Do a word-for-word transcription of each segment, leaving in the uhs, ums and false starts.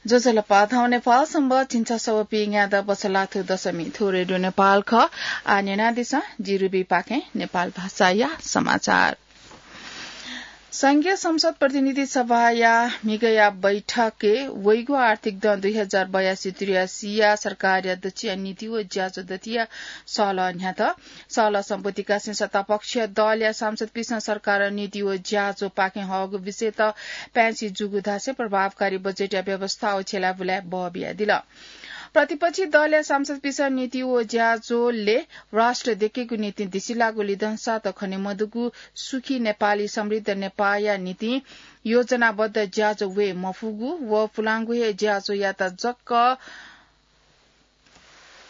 ज्वजलपा, थौं नेपाल संवत् झिंछसः व पीन्यादँ बछलाथु दशमी थ्व रेडियो नेपाल खः। आः न्यनादिसँ, जि रुबी पाखें नेपाल भाषाया समाचार। संघीय संसद प्रतिनिधि सभाया म्हिगःया बैठकय् वइगु आर्थिक दँ दुई हजार बयासी त्रियासीया सरकारया दच्छिया नीति व ज्याझ्वः दथिया सहलह न्ह्यात। सहलह सम्बोधित कासें सत्तापक्ष दलया सांसदपिसं सरकारं नीति व ज्याझ्वःपाखें हःगु विषयत पाय्छि जूगु धासें प्रभावकारी बजेटया व्यवस्था व छ्यलाबुलाय् बः बियादिल। प्रतिपक्षी दलया सांसदपिसं नीति व ज्याझ्वलय् राष्ट्र देकेगु निंतिं धिसिलाःगु लिधंसात खने मदुगु सुखी नेपाली समृद्ध नेपाःया निंतिं योजनाबद्ध ज्याझ्वः वये मफुगु व पुलांगु हे ज्याझ्वःयात जक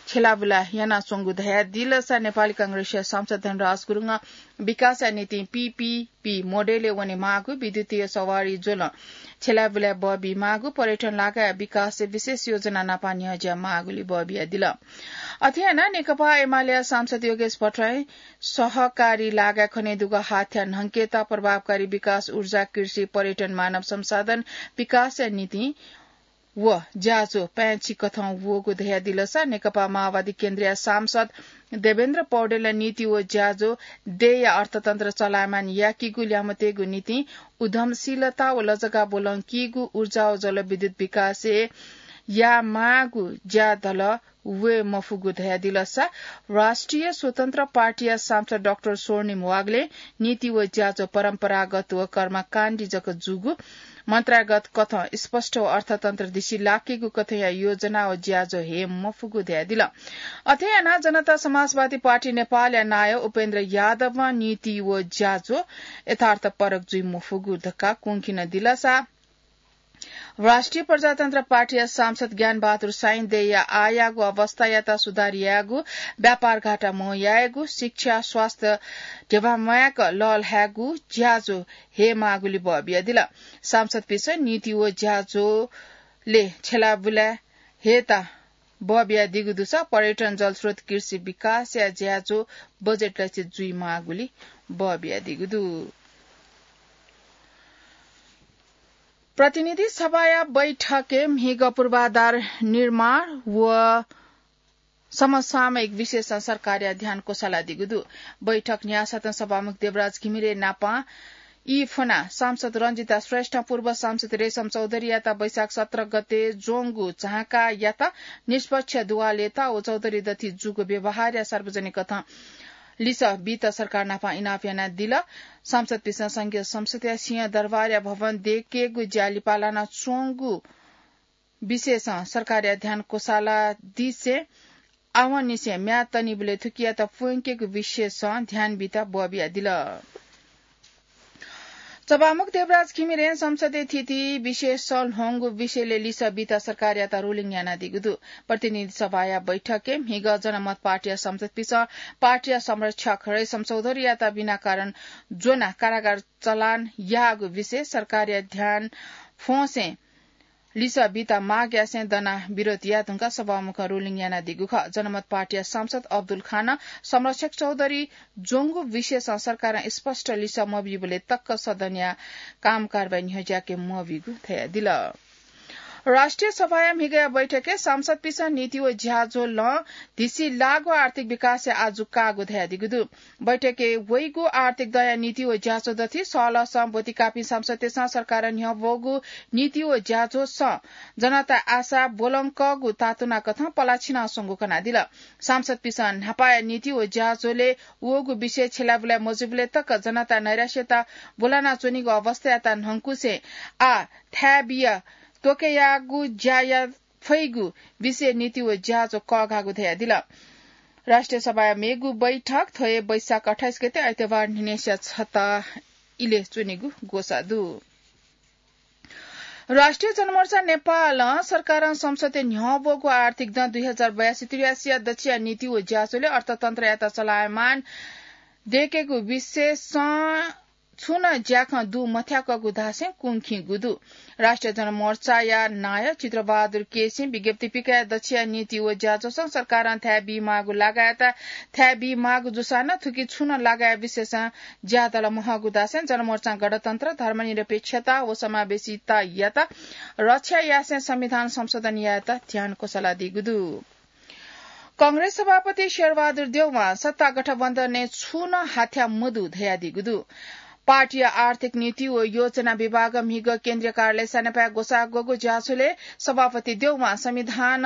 छ्यलाबुला यानाच्वंगु धयादिलसा नेपाली कांग्रेसया सांसद धनराज गुरुङं विकासया निंतिं पीपीपी मोडेलय् वनेमाःगु, विद्युतीय सवारी ज्वलं छ्यलाबुलाय् बः बीमाःगु, पर्यटन लागाया विकासय् विशेष योजना नापं न्ह्यज्यामाःगुलि बः बियादिल। अथे यानाः नेकपा एमालेया सांसद योगेश भट्टराईं सहकारी लागाय् खनेदुगु हाथ्या न्हंकेत प्रभावकारी विकास, ऊर्जा, कृषि, पर्यटन, मानव संसाधन विकासया निंतिं व ज्याझ्वः पाय्छि कथं वःगु धयादिलसा नेकपा माओवादी केन्द्रया सांसद देवेन्द्र पौडेलं नीति व ज्याझ्वः देय्‌या अर्थतन्त्र चलायमान याकीगु ल्यामतेगु निंतिं उद्यमशीलता व लजगाः ब्वलंकीगु ऊर्जा व जलविद्युत विकासय् यायेमाःगु ज्याझ्वः वये मफुगु धयादिलसा राष्ट्रिय स्वतन्त्र पार्टीया सांसद डाक्टर स्वर्णिम वाग्लें नीति व ज्याझ्वः परम्परागत व कर्मकाण्डी जक जूगु, मन्त्रागत कथं स्पष्ट व अर्थतन्त्र धिसिलाकेगु कथंया योजना व ज्याझ्वः हये मफुगु धयादिल। अथे यानाः जनता समाजवादी पार्टी नेपालया नायः उपेन्द्र यादवं नीति व ज्याझ्वः यथार्थपरक जुइ मफुगु धकाः कुंखिन दिलसा राष्ट्रिय प्रजातन्त्र पार्टीया सांसद ज्ञानबहादुर साइं देय्‌या आःयागु अवस्थायात सुधार यायेगु, व्यापार घाटा म्हो यायेगु, शिक्षा, स्वास्थ्य ध्यबा म्वायेक लःल्हायेगु ज्याझ्वः हयेमाःगुलि बः बियादिल। सांसदपिसं नीति व ज्याझ्वलय् छ्यलाबुलाय् हयेत बः बियादीगु दुसा पर्यटन, जलस्रोत, कृषि विकासया ज्याझ्वः बजेट लक्ष्य जुइमाःगुलि बः बियादीगु दु। प्रतिनिधि सभाया बैठकय् म्हिगः पूर्वाधार निर्माण व समसामयिक विषयसं सरकारया ध्यान क्वसालादीगु दु। बैठक न्ह्याःसाथं सभामुख देवराज घिमिरे नापं ई फ्वनाः सांसद रञ्जिता श्रेष्ठं पूर्व सांसद रेशम चौधरीयात वैशाख सत्र गते ज्वंगु झाँकायात निष्पक्ष दुवालय् त व चौधरी दथि जूगु व्यवहारया सार्वजनिक कथं लिसः बीत सरकार नापं इनाप यानादिल। सांसदपिसं संघीय संसदया सिंहदरबारया भवन देकेगु ज्या लिपा लानाच्वंगु विषयसं सरकारया ध्यान क्वसालादिसें आवंनिसें म्याद तनीबलय् थुकियात प्वंकेगु विषयसं ध्यान बीत बः बियादिल। सभामुख देवराज घिमिरें संसदय् थीथी विषयसं ल्ह्वंगु विषयलय् लिसः बीत सरकारयात ruling यानादीगु दु। प्रतिनिधि सभाया बैठकय् म्हिगः जनमत पार्टीया संसदपिसं पार्टीया संरक्षक रेशम चौधरीयात बिना कारण ज्वनाः कारागार चलान याःगु विषय सरकारया ध्यान फ्वंसें लिसः बीत माग यासें दनाः विरोध याये धुंकाः सभामुखं ruling यानादीगु खः। जनमत पार्टीया सांसद अब्दुल खानं संरक्षक चौधरी ज्वंगु विषयसं सरकारं स्पष्ट लिसः मबीबलय् तक सदनया काम कारवाही न्ह्यज्याके मबीगु धयादिल। राष्ट्रिय सभाया म्हिगःया बैठकय् सांसदपिसं नीति व ज्याझ्वलं धिसिलाःगु आर्थिक विकासया आजु काःगु धयादीगु दु। बैठकय् वइगु आर्थिक दँया नीति व ज्याझ्वः दथि सहलहसं ब्वति काःपिं सांसदतय्सं सरकारं न्ह्यब्वःगु नीति व ज्याझ्वःसं जनताया आशा ब्वलंकःगु तातुना कथं पलाः छिनाच्वंगु कनादिल। सांसदपिसं न्हापाया नीति व ज्याझ्वलय् वःगु विषय छ्यलाबुलाय् मजूबलय् तक जनताया नैराश्यता ब्वलानाच्वनीगु अवस्थायात न्हंकुसें आः थाय् बिया त्वकयागु ज्या याये फइगु विषय नीति व ज्याझ्वः कःघाःगु धयादिल। राष्ट्रिय सभाया मेगु बैठक थ्व हे वैशाख अट्ठाइस गते आइतबार न्हिनय्सिया छता इलय् च्वनेगु ग्वसाः दु। राष्ट्रिय जनमोर्चा नेपालं सरकारं संसदय् न्ह्यब्वःगु आर्थिक दँ दुई हजार बयासी त्रियासीया दच्छिया नीति व ज्याझ्वलय् अर्थतन्त्रयात चलायमान देकेगु विषयसं छुं नं ज्याखँ दु मथ्याकःगु धासें कुंखिंगु दु। राष्ट्रिय जनमोर्चाया नायः चित्रबहादुर केसीं विज्ञप्ति पिकाः दच्छिया नीति व ज्याझ्वलं सरकारं थाय् बीमाःगु लागाय्‌त थाय् बीमाःगु जूसां नं थुकी छुं नं लागाय् विशेषं ज्यादल महःगु धासें जनमोर्चां गणतन्त्र, धर्मनिरपेक्षता व समावेशितायात रक्षा यासें संविधान संशोधन यायेत ध्यान क्वसलादीगु दु। कांग्रेस सभापति शेरबहादुर देउवां सत्ता गठबन्धनय् छुं नं हाथ्या मदु धयादीगु दु। पार्टीया आर्थिक नीति व योजना विभागं म्हिगः केन्द्रीय कार्यालय सानेपाय् ग्वसाः ग्वःगु ज्याझ्वलय् सभापति देउवां संविधान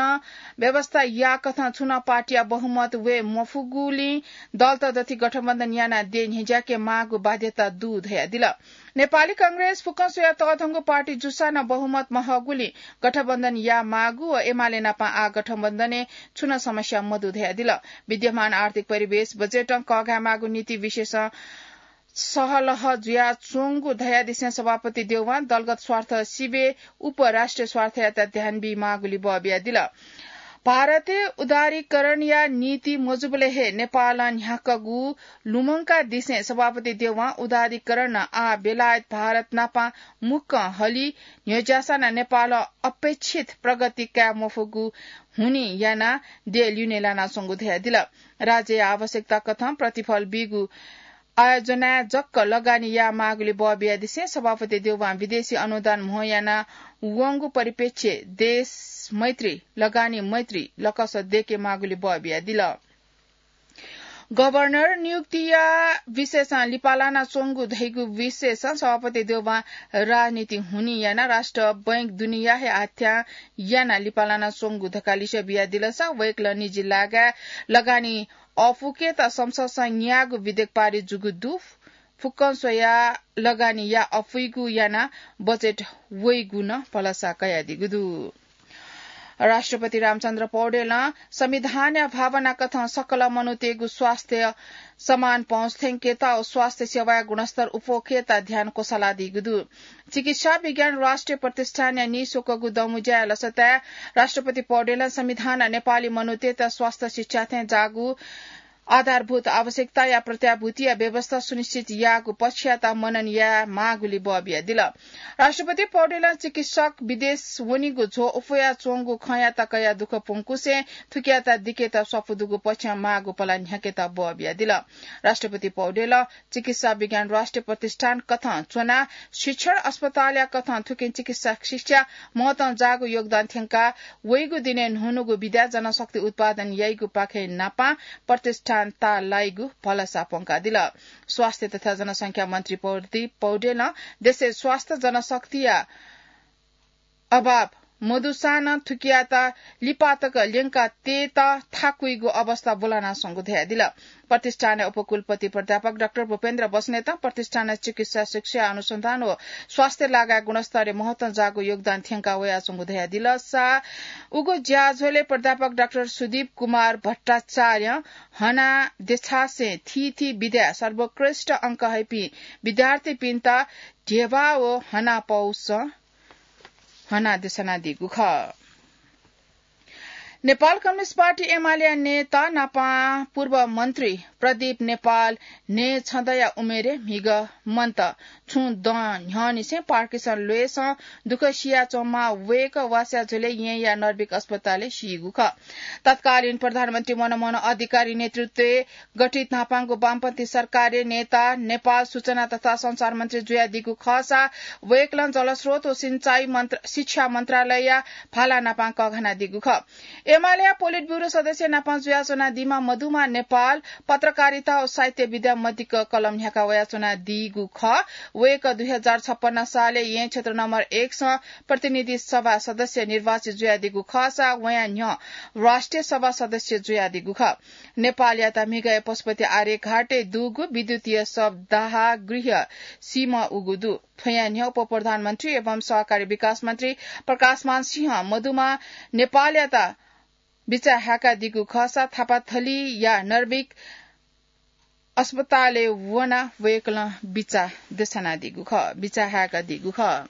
व्यवस्था याकथं छुं नं पार्टीया बहुमत वये मफुगुलिं दलत दथुइ गठबन्धन यानाः देय् न्ह्यज्याके माःगु बाध्यता दु धयादिल। नेपाली कांग्रेस फुक्कं स्वयाः तःधंगु पार्टी जूसां नं बहुमत महःगुलिं गठबन्धन याये माःगु व एमाले नाप आः गठबन्धनय् छुं नं समस्या मदु धयादिल। विद्यमान आर्थिक परिवेश, बजेटं कःघाये माःगु नीति विषयसं सहलह जुयाच्वंगु धयादिसें सभापति देउवां दलगत स्वार्थ सिबें उप राष्ट्रिय स्वार्थयात ध्यान बीमाःगुलि बः बियादिल। भारतय् उदारीकरणया नीति मजूबलय् हे नेपालं न्ह्याकःगु लुमंकादिसें सभापति देउवां उदारीकरणं आः बेलायत भारत नाप मुक्कं हलि न्ह्यज्याःसां नं नेपालं अपेक्षित प्रगति काये मफुगु हुनिं यानाः देय् ल्यूने लानाच्वंगु धयादिल। राज्यया आवश्यकता कथं प्रतिफल बीगु आयोजनाय् जक लगानी याये माःगुलि बः बियादिसें सभापति देउवां विदेशी अनुदान म्हो याना वंगु परिप्रेक्ष्यय् देश मैत्री, लगानी मैत्री लकस दयेके माःगुलि बः बियादिल। गभर्नर नियुक्तिया विषयसं लिपा लानाच्वंगु धइगु विषयसं सभापति देउवां राजनीति हुनिं यानाः राष्ट्र बैंक दुनेया हे हाथ्यां यानाः लिपा लानाच्वंगु धकाः लिसे बियादिलसा वय्कलं निजी लागाय् लगानी अफुकेत संसदसं न्याःगु विधेयक पारित जूगु दु। फुक्कं स्वयाः लगानी याये अफुइगु यानाः बजेट वइगु नं भलसा कयादीगु दु। राष्ट्रपति रामचन्द्र पौडेलं संविधानया भावना कथं सकल मनूतय्गु स्वास्थ्य समान पहुँच थ्यंकेत व स्वास्थ्य सेवाया गुणस्तर उप्वःकेत ध्यान क्वसलादीगु दु। चिकित्सा विज्ञान राष्ट्रिय प्रतिष्ठानया नीस्वकःगु दँमुँज्याया लसताय् राष्ट्रपति पौडेलं संविधानं नेपाली मनूतय्त स्वास्थ्य शिक्षा थें जाःगु आधारभूत आवश्यकताया प्रत्याभूतिया व्यवस्था सुनिश्चित याःगु पक्षयात मनन याये माःगुलि बः बियादिल। राष्ट्रपति पौडेलं चिकित्सक विदेश वनीगु झ्वः उफयाच्वंगु खँयात कयाः दुःख प्वंकुसें थुकियात दिकेत स्वापू दुगु पक्षं माःगु पला न्ह्याकेत बः बियादिल। राष्ट्रपति पौडेलं चिकित्सा विज्ञान राष्ट्रिय प्रतिष्ठान कथं च्वनाः शिक्षण अस्पतालया कथं थुकिं चिकित्सा शिक्षा महत्वं जाःगु योगदान थ्यंकाः वइगु दिनय् न्हून्हूगु विधाय् जनशक्ति उत्पादन याइगु पाखें नापां प्रतिष्ठान ताःलाइगु भलसा प्वंकादिल। स्वास्थ्य तथा जनसंख्या मन्त्री प्रदीप पौडेलं देशय् स्वास्थ्य जनशक्तिया अभाव मदुसां नं थुकियात लिपा तक ल्यंका तयेत थाकुइगु अवस्था ब्वलानाच्वंगु धयादिल। प्रतिष्ठानया उपकुलपति प्राध्यापक डाक्टर भूपेन्द्र बस्नेतं प्रतिष्ठानया चिकित्सा शिक्षा अनुसन्धान व स्वास्थ्य लागाय् गुणस्तरय् महत्वं जाःगु योगदान थ्यंका वयाच्वंगु धयादिलसा उगु ज्याझ्वलय् प्राध्यापक डाक्टर सुदीप कुमार भट्टाचार्यं हना देछासें थीथी विधाय् सर्वोत्कृष्ट अंक हइपिं विद्यार्थीपिन्त ध्यबा व हना पौसं हना देछानादीगु खः। नेपाल कम्युनिस्ट पार्टी एमालेया नेता नापं पूर्व मन्त्री प्रदीप नेपाल न्हय् छदँया उमेरय् म्हिगः मन्त। छुं दँ न्ह्यःनिसें पार्किन्सन ल्वय्सं दुःख सियाच्वंम्ह वय्कः वासः झ्वलय् येँया नर्भिक अस्पतालय् सीगु खः। तत्कालीन प्रधानमन्त्री मनमोहन अधिकारी नेतृत्वय् गठित न्हापांगु वामपन्थी सरकारय् नेता नेपाल सूचना तथा सञ्चार मन्त्री जुयादीगु खःसा वय्कलं जलस्रोत व सिंचाई मन्त्र-, शिक्षा मन्त्रालयया भाला नापां कःघानादीगु खः। एमालेया पोलिट ब्युरो सदस्य नापां जुयाच्वनादीम्ह मधुमा नेपाल पत्रकारिता व साहित्य विधा मदिक्क कलम न्ह्याका वयाच्वनादीगु खः। वय्कः दुई हजार छप्पन्न सालय् येँ क्षेत्र नम्बर एकसं प्रतिनिधि सभा सदस्य निर्वाचित जुयादीगु खःसा वयां न्ह्यः राष्ट्रिय सभा सदस्य जुयादीगु खः। नेपालयात म्हिगःया पशुपति आर्यघाटय् दुगु विद्युतीय शवदाह गृह सीम्ह उगु दु। थ्वयां न्ह्यः उपप्रधानमन्त्री एवं सहकारी विकास मन्त्री प्रकाशमान सिंहं मधुमा नेपालयात बिचाः हाय्कादीगु खःसा थापाथलीया नर्भिक अस्पतालय् वनाः वय्कलं बिचाः देछानादीगु खः, बिचाः हाय्कादीगु खः।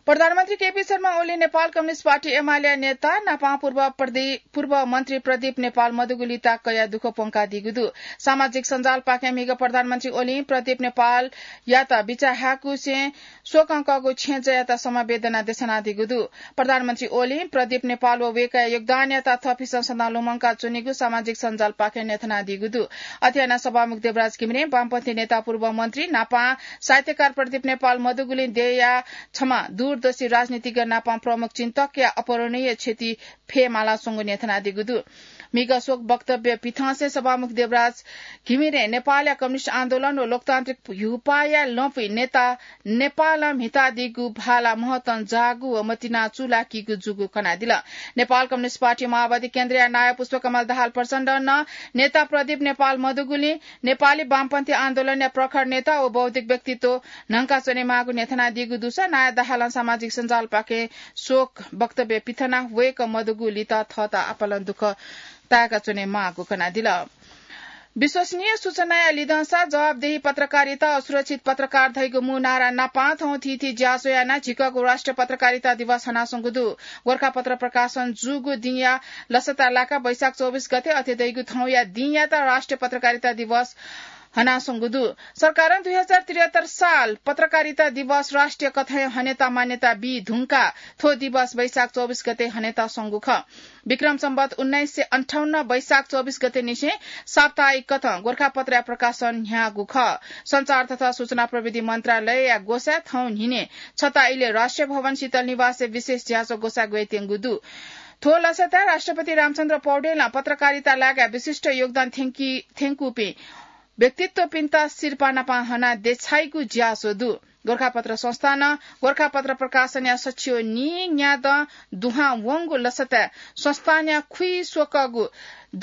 प्रधानमन्त्री केपी शर्मा ओली नेपाल कम्युनिस्ट पार्टी एमाले नेता नापां पूर्व प्रदीप, पूर्व मन्त्री प्रदीप नेपाल मदुगु लिता कयाः दुःख प्वंकादीगु दु। सामाजिक सञ्जालपाखें म्हिगः प्रधानमन्त्री ओलीं प्रदीप नेपालयात बिचाः हाय्‌कुसें शोकं कःगु छेँजःयात समवेदना देछानादीगु दु। प्रधानमन्त्री ओलीं प्रदीप नेपाल व वय्‌कःया योगदानयात थःपिन्सं सदां लुमंका च्वनीगु सामाजिक सञ्जालपाखें न्ह्यथनादीगु दु। अथे यानाः सभामुख देवराज घिमिरें वामपन्थी नेता पूर्व मन्त्री नापां साहित्यकार प्रदीप नेपाल मदुगुलिं देय्‌या छम्ह दूरदर्शी राजनीतिज्ञ नापां प्रमुख चिन्तकया अपूरणीय क्षति फयेमालाच्वंगु न्ह्यथनादीगु दु। म्हिगः शोक वक्तव्य पिथंसें सभामुख देवराज घिमिरें नेपालया कम्युनिस्ट आन्दोलन व लोकतान्त्रिक ह्यूपाःया लँपुइ नेता नेपालं म्हितादीगु भाला महतं जाःगु व मतिना चूलाकीगु जूगु कनादिल। नेपाल कम्युनिस्ट पार्टी माओवादी केन्द्रया नायः पुष्पकमल दाहाल प्रचण्डं नं नेता प्रदीप नेपाल मदुगुलिं नेपाली वामपन्थी आन्दोलनया प्रखर नेता व बौद्धिक व्यक्तित्व न्हंकाच्वनेमाःगु न्ह्यथनादीगु दुसा नायः दाहालं सामाजिक सञ्जालपाखें शोक वक्तव्य पिथनाः वय्‌कः मदुगु लिता थःत आपालं दुःख ताय्‌का च्वनेमाःगु कनादिल। विश्वसनीय सूचनाया लिधंसा जवाबदेही पत्रकारिता व सुरक्षित पत्रकार धइगु मू नारा नापां थौं थीथी ज्याझ्वः यानाः झिकःगु राष्ट्रिय पत्रकारिता दिवस हनाच्वंगु दु। गोरखापत्र प्रकाशन जूगु दिंया लसता लाकाः वैशाख चौबिस गते अथे धइगु थौंया दिंयात राष्ट्रिय पत्रकारिता दिवस हनाच्वंगु दु। सरकारं दुई हजार त्रिहत्तर साल पत्रकारिता दिवस राष्ट्रिय कथंय् हनेत मान्यता बी धुंकाः थ्व दिवस वैशाख चौबिस गते हनेत स्वंगु खः। विक्रम सम्बत उन्नाइस सय अन्ठाउन्न वैशाख चौबिस गते निसें साप्ताहिक कथं गोरखापत्रया प्रकाशन न्ह्याःगु खः। सञ्चार तथा सूचना प्रविधि मन्त्रालयया ग्वसाय् थौं न्हिने छता इलय् राष्ट्रिय भवन शीतल निवासय् विशेष ज्याझ्वः ग्वसाः ग्वयेत्यंगु दु। थ्व लसताय् राष्ट्रपति रामचन्द्र पौडेलं पत्रकारिता लागाय् विशिष्ट योगदान थ्यंकी, थ्यंकूपिं व्यक्तित्वपिन्त सिरपाः नापां हनाः देछाइगु ज्याझ्वः दु। गोरखापत्र संस्थानं गोरखापत्र प्रकाशनया सच्छि व नीन्यादँ दुहां वंगु लसताय् संस्थानया खुइस्वकःगु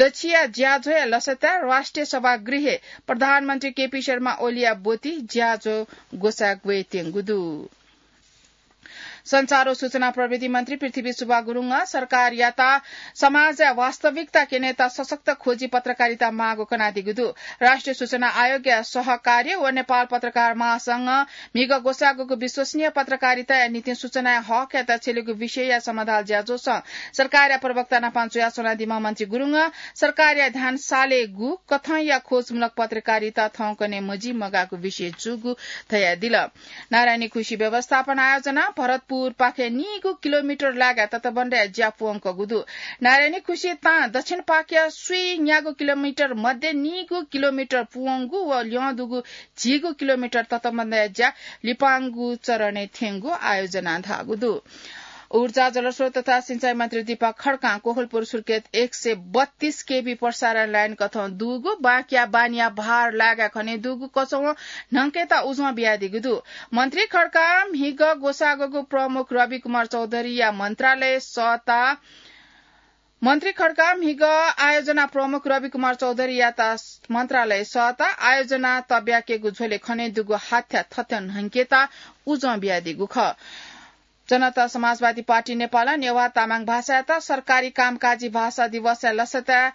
दच्छिया ज्याझ्वःया लसताय् राष्ट्रिय सभागृहय् प्रधानमन्त्री केपी शर्मा ओलीया ब्वति ज्याझ्वः ग्वसाः ग्वयेत्यंगु दु। सञ्चार व सूचना प्रविधि मन्त्री पृथ्वी सुब्बा गुरुङं सरकारयात समाजया वास्तविकता क्यनेत सशक्त खोजी पत्रकारिता माःगु कनादीगु दु। राष्ट्रिय सूचना आयोगया सहकार्य व नेपाल पत्रकार महासंघं म्हिगः ग्वसाःगुगु विश्वसनीय पत्रकारिताया निंतिं सूचनाया हकयात छ्यलेगु विषयया समाधान ज्याझ्वलय् सरकारया प्रवक्ता नापां जुयाच्वनादीम्ह मन्त्री गुरुङं सरकारया ध्यान सालेगु कथंया खोजमूलक पत्रकारिता थौंकन्हय् मजिमगाःगु विषय जूगु धयादिल। नारायणी खुसी व्यवस्थापन आयोजनां भरतपुरपाखें नीगू किलोमिटर लागाय् तटबन्धया ज्या प्वंकूगु दु। नारायणी खुसी तां दक्षिणपाखेया स्वीन्यागू किलोमिटर मध्ये नीगू किलोमिटर प्वंगु व ल्यं दुगु झिगू किलोमिटर तटबन्धया ज्या लिपांगु चरणय् थ्यंगु आयोजनां धाःगु दु। ऊर्जा, जलस्रोत तथा सिँचाइ मन्त्री दीपक खड्कां कोहलपुर सुर्खेत एक सय बत्तीस केभी प्रसारण लाइन कथं दुगु बाँकिया बानिया भार लागाय् खने दुगु कचवं न्हंकेत उजं बियादीगु दु। मन्त्री खड्कां म्हिगः ग्वसाःगुगु प्रमुख रविकुमार चौधरीया मन्त्रालय सःता मन्त्री खड्कां म्हिगः आयोजना प्रमुख रविकुमार चौधरीयात मन्त्रालय सःता आयोजना तब्याकेगु झ्वलय् खने दुगु हाथ्या थथ्यं न्हंकेत उजं बियादीगु खः। जनता समाजवादी पार्टी नेपालं नेवाः तामाङ भाषायात सरकारी कामकाजी भाषा दिवसया लसताय्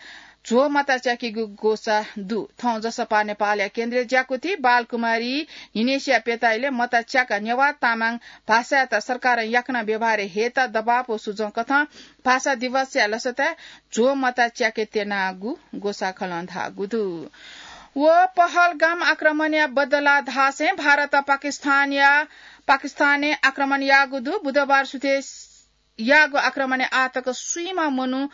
झ्वः मता च्याकीगु ग्वसाः दु। थौं जसपा नेपालया केन्द्रीय ज्याकुथि बालकुमारी न्हिनेसिया प्यता इलय् मता च्याकाः नेवाः तामाङ भाषायात सरकारं याकनं व्यवहारय् हयेत दबाब व सुजं कथं भाषा दिवसया लसताय् झ्वः मता च्याके त्यनागु ग्वसाखलं धाःगु दु। व पहलगाम आक्रमणया बदला धासें भारतं पाकिस्तानया, पाकिस्तानय् आक्रमण याःगु दु। बुधबार सुथय् याःगु आक्रमणय् आःतक स्वीम्ह मनू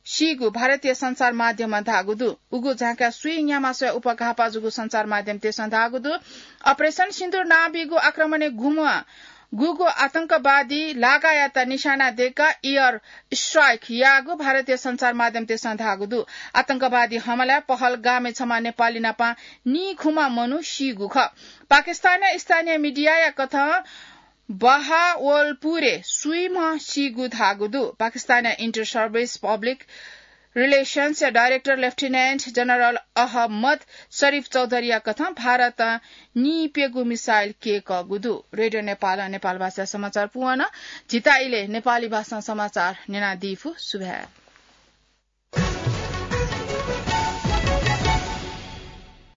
सीगु भारतीय सञ्चार माध्यमं धाःगु दु। उगु झाँक्या स्वीन्याम्ह मनूया उपघाःपाः जूगु सञ्चार माध्यमतय्सं धाःगु दु। Operation Sindoor नां बीगु आक्रमणय् गुम्ह गुगु आतंकवादी लागायात निशाना दय्काः air strike याःगु भारतीय सञ्चार माध्यमतय्सं धाःगु दु। आतंकवादी हमलाय् पहलगामय् छम्ह नेपाली नाप नीखुम्ह मनू सीगु खः। पाकिस्तानया स्थानीय मिडियाया कथं बहावलपुरय् स्वीम्ह सीगु धाःगु दु। पाकिस्तानया Inter Service Public Relations या director Lieutenant General अहमद शरीफ चौधरीया कथं भारतं नीप्यगू missile कय्कःगु दु। रेडियो नेपालं नेपाल भाषाया समाचार पूवन। झीत इलय् नेपाली भाषां समाचार न्यनादीफु। सुभाय्।